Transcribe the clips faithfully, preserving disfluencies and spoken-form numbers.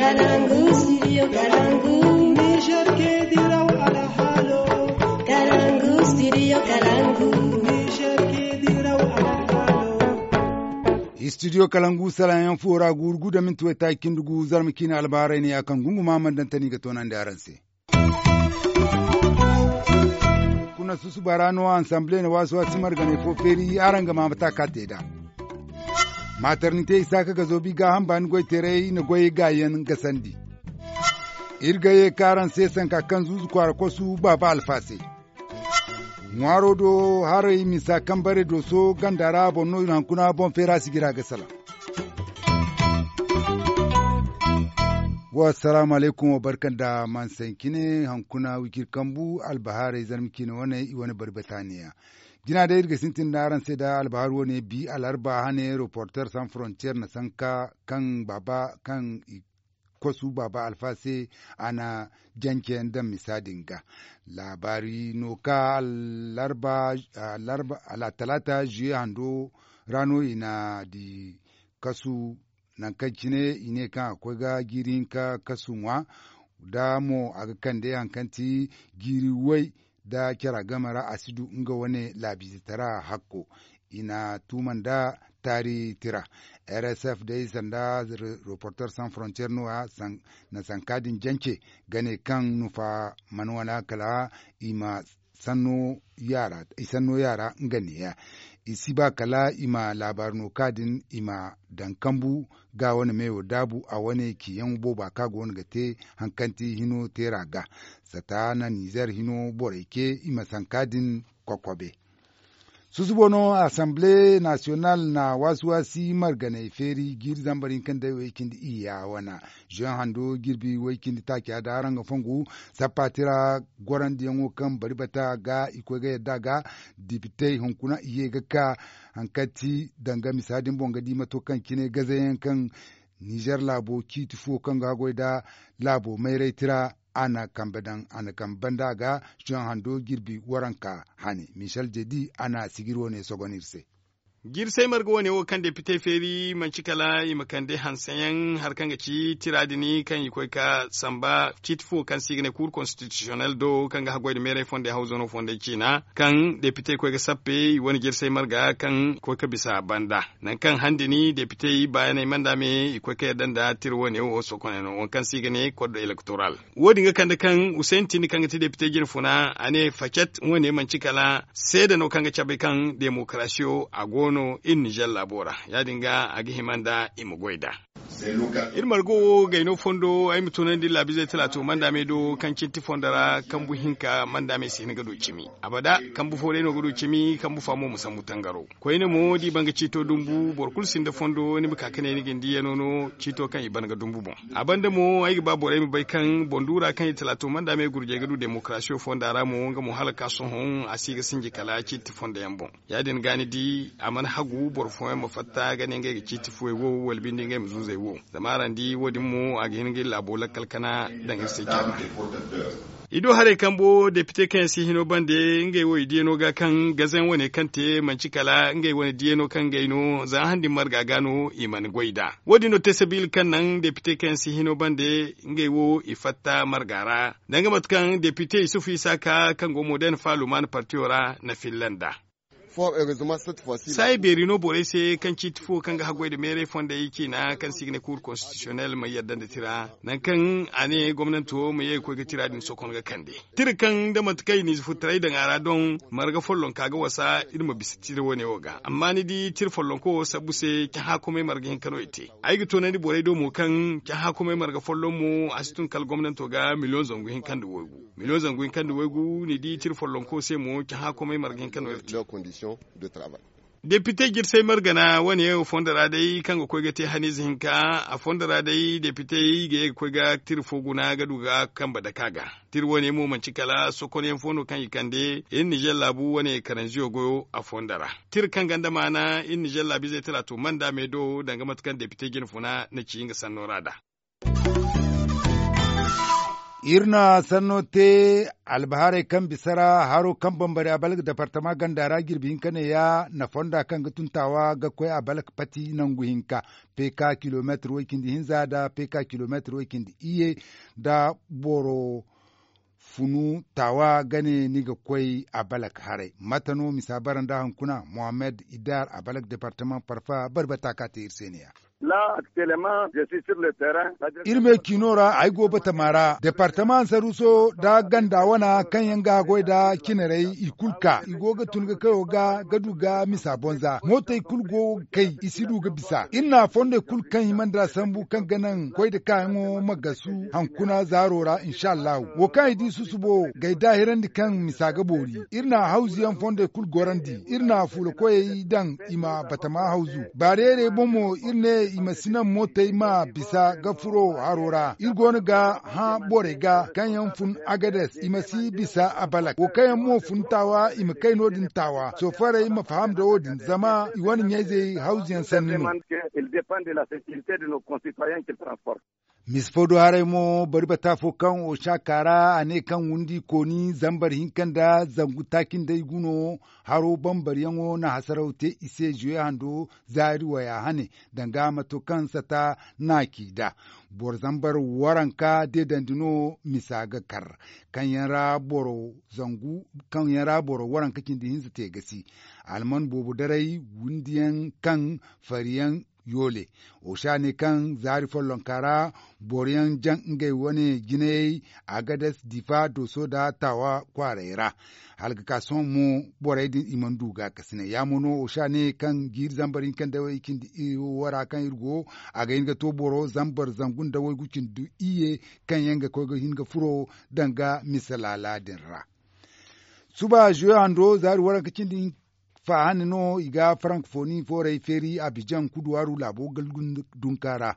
Kalangu, studio Kalangu. Niger ke diraw alhalo. Kalangu, studio Kalangu. Niger ke diraw alhalo. Studio Kalangu, salaŋ yaŋ fo ra, guuru gu da minti waytaaci cindi gu, zarma ciine albaharay ne ya kaŋ gunguma mana daŋ tani ga toonandi araŋ se. Kuna susuba ra no, ansamble na waasi-waasi marganey fo feeri, araŋ ga ma mate a ka te nd'a. Maternite, isaaka ga zoobi gaaham baani goyteerey na goyey gaayaŋ gasandi. Iri ga ye ka araŋ se sanka kaŋ zuuzu kwaara kosu baaba alfa se. Ŋwaaro do haray misa kaŋ bare dooso ganda ra boŋ no iri hankuna boŋ feera sigira ga salaŋ. Wa assalaamu alaykum, wa barka nda mansaŋ cine hankuna wiciri kambu albahaarey zarma ciine wane i wane bari bataaniya. Jina day iri ga sintin nda araŋ se nda albahaari wane bi alarba hane reporter sans frontier na sanka kaŋ baaba kaŋ i kosu baaba alfa se a na jance yaŋ daŋ misa din ga. Laabaari no ka alarba alarba talaata juye hando ra no i na di kasu nangu kaŋ cine i ne kaŋ a koy ga jiiri hinka kasu ŋwa. Da mo a ga kande hari kaŋ ti jiiri way nda care game ra a si du nga wane laabiize tara hakko. I na tuuma nda taari tira. Rsf day sanda reporter sans frontier no ya na sanka din jance ga ne kaŋ nufa mana wana kala i ma sanno yaara nga neeya. I si ba kala i ma laabaari no ka din i ma daŋ kambu ga wane meyo daabu a wane ciyaŋ booba kaŋ a go no ga te hari kaŋ ti hino teera ga. Sata na nizer hino borey ce i ma sanka din kokobe. Susubo no asamble nasiyonal na waasi-waasi marganey feeri jiiri zambar hinka nda way cindi iyya wana juwan hando jirbi way cindi taaca da araŋ ga fongu. Sappa tira gorandiyaŋo kaŋ bari bata ga i koy ga yadda ga dipitey hunkuna i ye ga ka hari kaŋ ti danga misa din boŋ ga di mato kaŋ cine gazayaŋ kaŋ nizer laabo ciiti fo kaŋ ga haggoy nda laabo mayray tira a na kambe daŋ a na kambe banda ga juwan hando jirbi waranka hane michel jedi a na sijiri wane sogon iri se. Jirsay marga wane wo kaŋ depite feeri manci kala i ma kande hanseyaŋ hari kaŋ ga ci tira din kaŋ i koy ga samba ciiti fo kaŋ se i ga ne kuur konstitisiyonel do kaŋ ga haggoy nda meeray fondey hawzano fondey ciina kaŋ depite koy ga sappe i wane jirsay marga kaŋ koy ga bisa banda. Nangu kaŋ han din depite baayaney manda me i koy ga yadda nda tira wane wo sokoney no waŋ kaŋ se i ga ne kod elektoral. Wo- din ga kande kaŋ huseyn tindi kaŋ ga ti depite jine funa a ne facet wane manci kala seeda no kaŋ ga cabe kaŋ demokarasiyo a go no iri nizer laabo ra. Ya- din ga a ga hima nda i ma goy nd'a. Iri margo wo gayno fondo ay ma tunandi laabizey talaato manda me do kaŋ cinti fondo ra kambu hinka manda me si hin ga du cimi. Abada kambu fo day no ga du cimi kambu fa mo ma sambu tangaro. Koyne mo da i ban ga ciito dumbu boro kulu sinda fondo ni ma ka ga ne ni ga ni diiyano no ciito kaŋ i ban ga dumbu boŋ. A banda mo ay ga ba borey ma bay kaŋ boŋ duura kaŋ i talaato manda me gurjey ga du demokarasiyo fonda ra mo nga mo hala ga ka sohõ a si ga sinji kala ciiti fondoyaŋ boŋ. Ya- din ga ni di a mana hagu boro fooyaŋ ma fatta ga ne ngey ga ciiti fuwey wo wala binde ngey ma zuuzey wo. Zama araŋ di wo- din mo a ga hin ga iri laabo lakkal kana daŋ iri se jama. I do haray kambo depite kaŋ yaŋ si hino bande ngey wo i diiyano ga kaŋ gazayaŋ wane kaŋ te manci kala ngey wane diiyano kaŋ ngey no za han din marga ga no i mana goy nd'a. Wo- din no te sabiila kaŋ naŋ depite kaŋ yaŋ si hino bande ngey wo i fatta marga ra. Danga mate kaŋ depite isufu isaaka kaŋ go modern faluman partiyo ra na filla nd'a. Saayi beeri no borey se kaŋ ciiti fo kaŋ ga haggoy nda meeray fondey ciina kaŋ se i ga ne kuur konstitisiyonel ma yadda nda tira nangu kaŋ a ne gomnanto ma ye ga koy ga tira din sokon ga kande. Tira kaŋ nda mate kaŋ i na ize furtaray daŋ a ra doŋ marga follonka ga wasa iri ma bisa tira wane wo ga amma ni di tira follonko wo sabbu se cahã komey marga hinka no i te. Ay ga toonandi borey do mo kaŋ cahã komey marga folloŋ mo a si tun kala gomnanto ga miliyoŋ zangu hinka nda waygu. Miliyoŋ zangu hinka nda waygu ni di tira follonko se mo cahã komey marga hinka no iri te. Depite jirsay margana wane wo fondo ra day kaŋ ga koy ga te haniize hinka a fondo ra day depitey ga ye ga koy ga tira fo guna ga du ga kambe dake a ga. Tira wane mo manci kala sokonyaŋ fo no kaŋ i kande iri nizer laabu wane karanziyo goyo a fondo ra. Tira kaŋ ganda maana iri nizer laabiizey talaato manda me do danga mate kaŋ depite jine funa na ci nga sanno ra nd'a. Iri na sanno te albahaarey kaŋ bisa ra haro kaŋ bambari a balak departama ganda ra jirbi hinka neeya na fonda kaŋ ga tun taawa ga koy a balak pati nangu hinka, peka kilomeetir way-cindi hinza nda peka kilomeetir way-cindi iyye nda boro funu taawa ga ne ni ga koy a balak haray. Mate no misa bara nda hunkuna mohammed idar a balak departama parfa bari bata ka te iri se neeya. Iri me ciino ra ay go batama ra departama ansaruso nda ganda wana kaŋ yaŋ ga haggoy nda cinarey i kulu ka i go ga tun ga kayo ga ga du ga misa bonza mootey kulu go ga kay i si du ga bisa iri na fondey kulu kaŋ i mana da sambu kaŋ ga naŋ koy nda kaayaŋo ma gasu hankuna zaaro ra inshallahu wo kaŋ i di susubo ga ay daahirandi kaŋ misa ga boori. Iri na hawzu yaŋ fondey kulu gorandi iri na fuula koyey daŋ i ma batama hawzu baareerey boŋ mo iri ne i ma si naŋ mootey ma bisa ga furo haro ra iri go no ga hã borey ga kaŋ yaŋ fun agades i ma si bisa a balak wo kaŋ yaŋ mo fun taawa i ma kay no- din taawa soofarey ma faham nda wo- din zama i wane ɲayzey hawzu yaŋ sanni no. Mise fo do haray mo bari bata fo kaŋ oca ka ra a ne kaŋ windi kooni zambar hinka nda zangu taaci nda ay gu no haro bambaryaŋo na hasaraw te i se zuwe hando zaari waya hane danga mato kaŋ sata na ci nd'a. Boro zambar waranka deedandi no misa ga kar kaŋ yaŋ ra boro zangu kaŋ yaŋ ra boro waranka cindi hinza te ga si alman boobo daray windiyaŋ kaŋ fariyaŋ yoole. Oca ne kaŋ zaari follonka ra boro yaŋ jaŋ ngey wane jinayey agades difa dooso nda taawa kwaarey ra. Hala ga ka sohõ mo borey din i mana du gaakasinay ya mo no oca ne kaŋ jiiri zambar hinka nda way cindi wara kaŋ iri go a ga hin ga to boro zambar zangu nda waygu cindi iyye kaŋ yaŋ ga koy ga hin ga furo danga misa laala din ra. Suba zuwe hando zaari waranka cindi faahandi no i ga farankofoni foorey feeri abijaŋ kuduwaaru laabo galgun dunka ra.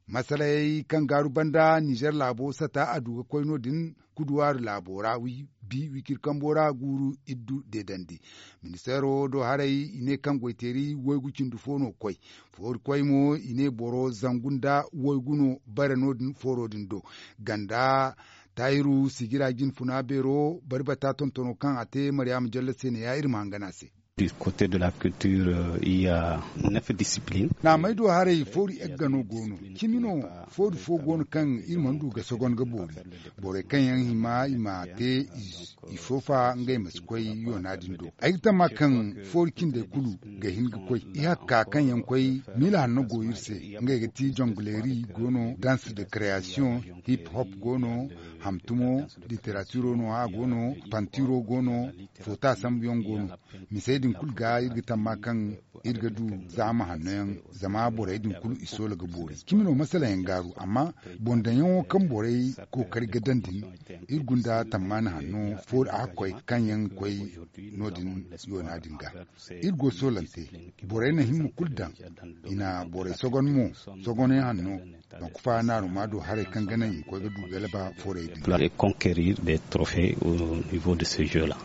Masalayey kaŋ gaaru banda nizer laabo sata a du ga koy no- din kuduwaaru laabo ra bi wiciri kambo ra guuru iddu deedandi. Ministeero do haray i ne kaŋ goyteeri waygu cindi fo no koy foori koy mo i ne boro zangu nda waygu no bare no- din fooro din do ganda taahiru sijira jinfuna beero bari bata tontono kaŋ a te maryaama jalle se ne ya iri ma hangan a se. Du côté de la culture il ya neuf discipline. Naamey do haray foori egga no go no cimi no. Foori fo go no kaŋ iri mana du ga sogon ga boori borey kaŋ yaŋ hima i ma te i soofa ngey ma si koy yoona din do ay ga tamma kaŋ foori cindey kulu ga hin ga koy i hakka kaŋ yaŋ koy miila hanno go iri se ngey ga ti jonguleeri go no danse de creation hip hop go no hamtumo literatiro no a go no pantiro go no foota sambuyaŋ go no. Misey din kulu ga iri ga tamma kaŋ iri ga du zaama hanno yaŋ zama borey din kulu i soola ga boori cimi no masala yaŋ gaaru amma boŋ daŋ yaŋo kaŋ borey kookari ga daŋ din iri gunda tammaani hanno foori a ga koy kaŋ yaŋ ga koy no- din yoona din ga iri go soolante borey na himma kulu daŋ i na borey sogon mo sogoney hanno nangu fa naaruma do haray kaŋ ga naŋ i ma koy ga du galaba foorey din. Conquérir des trophées au niveau de ce jeu là.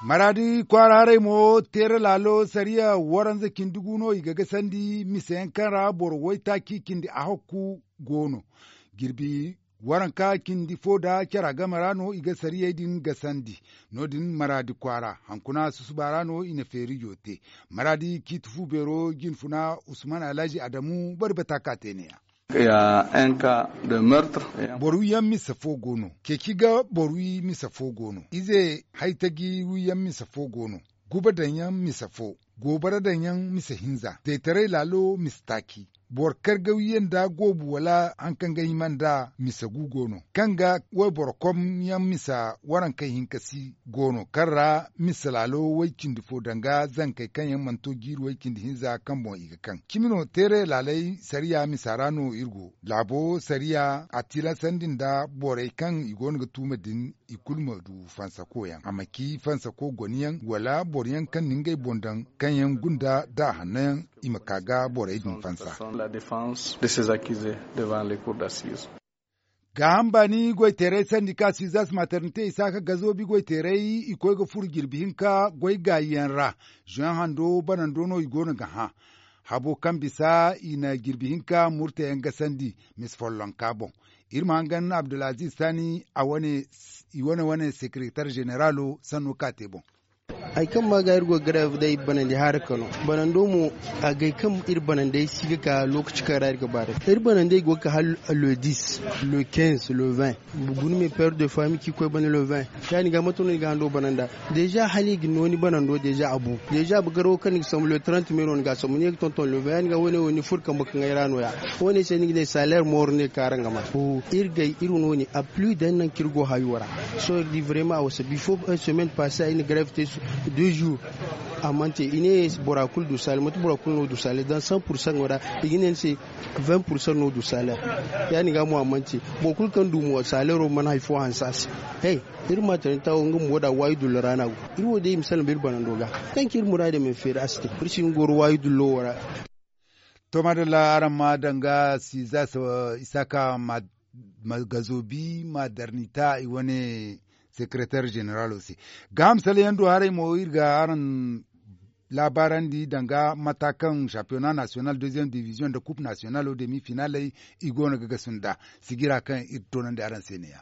Maraadi kwaara haray mo teera laalo sariya waranza cindi gu no i ga gasandi mise yaŋ kaŋ ra boro waytaaci cindi ahakku go no jirbi waranka cindi fo nda cara game ra no i ga sariyey din gasandi. No- din maraadi kwaara hankuna susuba ra no i na feerijo te maraadi ciiti fu beero jinfuna usman alhaji adamu bari bata ka te ne- ya. Boro wi yaŋ mise fo go no ceeci ga boro wi mise fo go no ize haytaji wi yaŋ mise fo go no guba daŋ yaŋ mise fo goobara daŋ yaŋ mise hinza teetaray laalo mise taaci boro kargawiyaŋ nda goobu wala haŋ kaŋ ga hima nda mise gu go no kaŋ ga wayboro kom yaŋ mise warankey hinka si go no kaŋ ra mise laalo way cindi fo danga zankey kaŋ yaŋ mana to jiiri way cindi hinza kaŋ boŋ i ga kaŋ cimi no teeray laaley sariya misa ra no iri go laabo sariya a tilasandi nda borey kaŋ i go no ga tuuma din i kulu ma du fansako yaŋ a ma ci fansako goniyaŋ wala boro yaŋ kaŋ na ngey boŋ daŋ kaŋ yaŋ gunda da a hanno yaŋ i ma ka ga borey din fansa. Gaaham baani goyteeray sandika sizas maternite isaaka gazoobi goyteeray i koy ga furo jirbi hinka goy gaayi yaŋ ra. Zuwan hando banando no i go no ga hã. Habo kaŋ bisa i na jirbi hinka murte yaŋ gasandi misa follonka boŋ. Iri ma hangan abdulaziz sani i wane wane sekeretar zeneralo sanno ka te boŋ. Hari kaŋ ma ga iri go ga gareef day banandi haara kano banando mo, agay kaŋ iri banandey si ga ka lokaci kaŋ ra iri ga ba day iri banandey go ga ka hala le dix, le quinze, le vingt. Guna me père de famille kaŋ i koy bana le vingt. Ya- din ga mate no ni ga hando bananda? Deja hala i ga no ni banando deja a bu deja a bu garawo kaŋ ni ga sambu le trente mai no ni ga a sambu ni ye ga tonton le vingt ya- din ga wane wo ni furo kambe kaŋ ay ra no- ya. Wane se ni ga ne salaire mooro ne kaara nga ma. Iri gay iri no ni a plus daŋ nangu kaŋ iri go hayo ra. Sohõ iri di vraiment a wasa before semaine passe ay na grève te deux jours. A mana te i ne bora kulu du salaire manti bora kulu no du salaire daŋ cent pour cent ŋo ra. I ga ne ni se vingt pour cent no du salaire. Ya- din ga mo a mana te. Boro kulu kaŋ du mo salaire wo mana hari fo hanse a se. Iri ma tara ni tawo nga mo da waayi dullo ra no a go. Iri wo day i ma salaŋ ba iri banando ga kaŋ ci iri muraadey ma feeri a si te. Iri si hin goro waayi dullo wo ra. To madalla araŋ ma danga siza isaka ma gazobi ma darnita i wane sekeretar zeneralo se. Gaaham sala yaŋ do haray mo iri ga araŋ laabaarandi danga mata kaŋ championnat national deuxième division nda coupe nationalo demi finaley i go no ga gasu nd'a. Sijira kaŋ iri toonandi araŋ se ne- ya.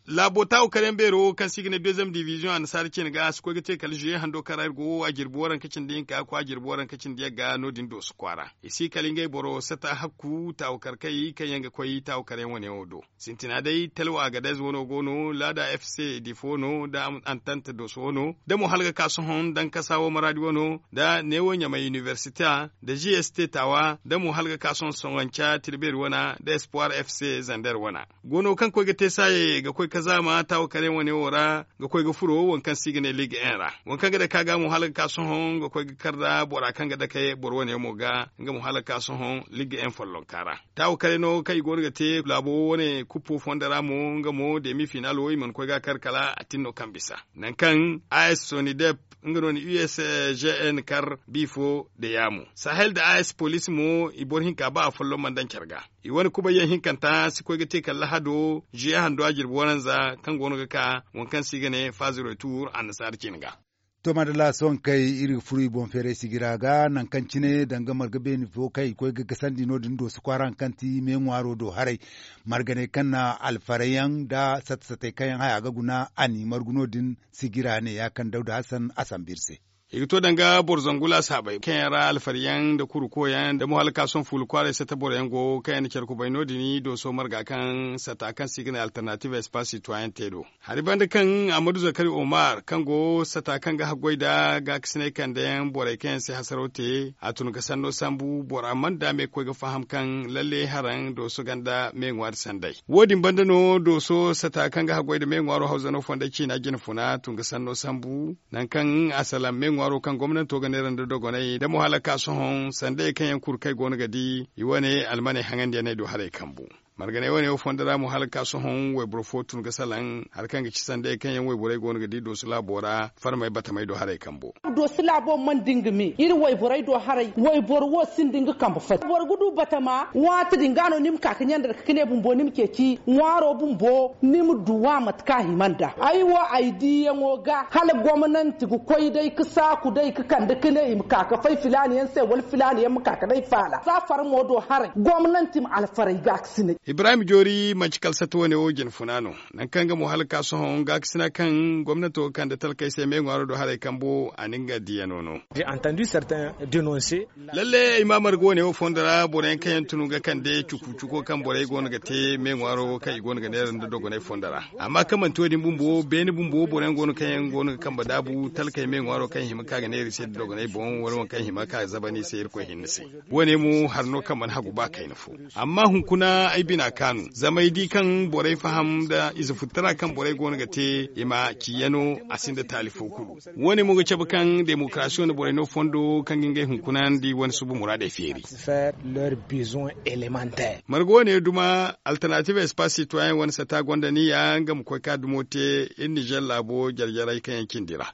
Laabo taawu kar yaŋ beero kaŋ se i ga ne deuxième division annasaara cine ga a si koy ga te kala zuye hando kaŋ ra iri go wo a jirbi waranka cindi hinka a koy a jirbi waranka cindi yagga no- din dooso kwaara. I si kala ngey boro sata hakku taawu kar kay kaŋ yaŋ ga koy taawu kar yaŋ wane wo do. Sintina day talwa agadez wano go no laada f c difo no nda antante dooso wano nda mo hala ga ka sohõ dankasa wo maraadi wano nda neewo ɲamay inibersite nda g s t taawa nda mo hala ga ka sohõ soŋanca tirbeeri wana nda espoir f c zander wana. Goono kaŋ koy ga te saaye ga koy ga zaama taawa kar yaŋ wane wo ra ga koy ga furo waŋ kaŋ se i ga ne liig en ra. Waŋ kaŋ ga dake a ga mo hala ga ka sohõ ga koy ga kar nda bora kaŋ ga dake boro wane yaŋ mo ga nga mo hala ga ka sohõ liig en follonka ra. Taawa kar yaŋ no kaŋ i go no ga te laabo wane kuppo fondo ra mo nga mo demi final wo i mana koy ga a kar kala a tin no kaŋ bisa nangu kaŋ a s sonidep nga no na u s g n kar bi fo da yaamo sahel nda a s poliisi mo i boro hinka ba afolloŋ mana daŋ care ga. I wane kubay yaŋ hinkanta si koy ga te kala lahado zuye hando a jirbi waranza kaŋ go no ga ka waŋ kaŋ se i ga ne faazi retur annasaara cine ga. To madalla sohõ kay iri ga furo i boŋ feeray sijira ga nangu kaŋ cine danga marga beeni fo kaŋ i koy ga gasandi no- din dooso kwaara haŋ kaŋ ti me ŋwaaro do haray. Marganey kaŋ na alfarey yaŋ nda sata satey kaŋ yaŋ haya ga guna a n'i margu no- din. Sijira ne ya kaŋ dawda hasan a sambu iri se. I ga to danga boro zangu laasaabey kaŋ yaŋ ra alfari yaŋ nda kuruko yaŋ nda mo hala ka sohõ fuula kwaaray sata boro yaŋ go kaŋ yaŋ na care kubay no- din dooso marga kaŋ sata kaŋ se i ga ne alternative espace citoyen te do. Hari banda kaŋ amadu zakari omar kaŋ go sata kaŋ ga haggoy nda gaakasinay kande yaŋ borey kaŋ yaŋ si hasaraw te a tun ga sanno sambu bora mana daame ga koy ga faham kaŋ lalle haraŋ dooso ganda me ŋwaari sanday. Wo- din banda no dooso sata kaŋ ga haggoy nda me ŋwaaro hawzano fonday ciina jinfuna tun ga sanno sambu nangu kaŋ a salaŋ me ŋwaaro kaŋ gomnanto ga neera nda dogonay nda mo hala ga ka sohõ sanday kaŋ yaŋ kulu kaŋ ay go no ga di i wane almaney haŋandiyaney do haray kambu. Marganey wane wo fondo ra mo hala ga ka sohõ wayboro fo tun ga salaŋ hari kaŋ ga ci sanday kaŋ yaŋ wayborey go no ga di dooso laabo ra farmey batamey do haray kambo. Dooso laabo mana di nga me iri wayborey do haray wayboro wo sinda nga kambe fati boro ga du batama waati din ga no ni ma ka ga ɲanda dake ka ne bumbo ni ma ceeci ŋwaaro bumbo ni ma duw'a mate kaŋ a hima nd'a ay wo ay diiyaŋo ga hala gomnanti ga koy day ga saaku day ga kande ka ne i ma ka ga fay filaana yaŋ se wala filaana yaŋ ma ka ga day faala za farmo do haray gomnanti ma alfaray gaakasinay. Ibrahim joori manci kala sata wane wo jinfuna no. Nangu kaŋ nga mo hala ga ka sohõ gaakasina kaŋ gomnato ga kande talkey se me ŋwaaro do haray kambo a na nga diyano no. Lalle ay ma marga wane wo fondo ra boro yaŋ kaŋ yaŋ tun ga kande cuku cuko kaŋ borey go no ga te me ŋwaaro kaŋ i go no ga neera nda dogonay fondo ra. Amma kaŋ manti wo- din bumbo beene bumbo boro yaŋ go no kaŋ yaŋ go no ga kambe daabu talkey me ŋwaaro kaŋ i hima ka ga neera i se nda dogonay boŋ wala waŋ kaŋ i hima ka zabani i se irkoy hinne se. Wo- ne mo hari no kaŋ mana hagu ba kayna fo. Amma hunkuna ay bina kaanu zama ay di kaŋ borey faham nda ize futtara kaŋ borey go no ga te i ma ciyano a sinda taali fo kulu. Wo- ne mo ga cabe kaŋ demokarasi wane borey no fondo kaŋ ga ngey hunkuna nda i wane suba muraadey feeri. Marga wo- ne duma alternative espace citoyen wane sata gonda niya nga ma koy ka dumo te iri nizer laabo jare jarey kaŋ yaŋ cindi ra.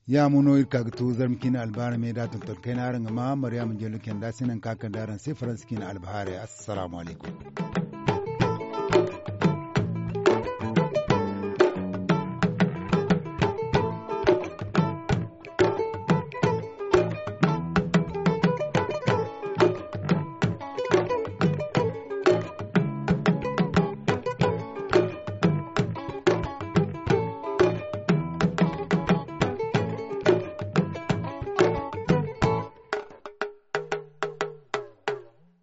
Ya mo no iri ka ga to zarma ciine albahaarey me da tonton kayna araŋ ga ma maryaama jello kenda se nangu kaŋ a kande araŋ se faransa ciine albahaarey assalaamu alaykum.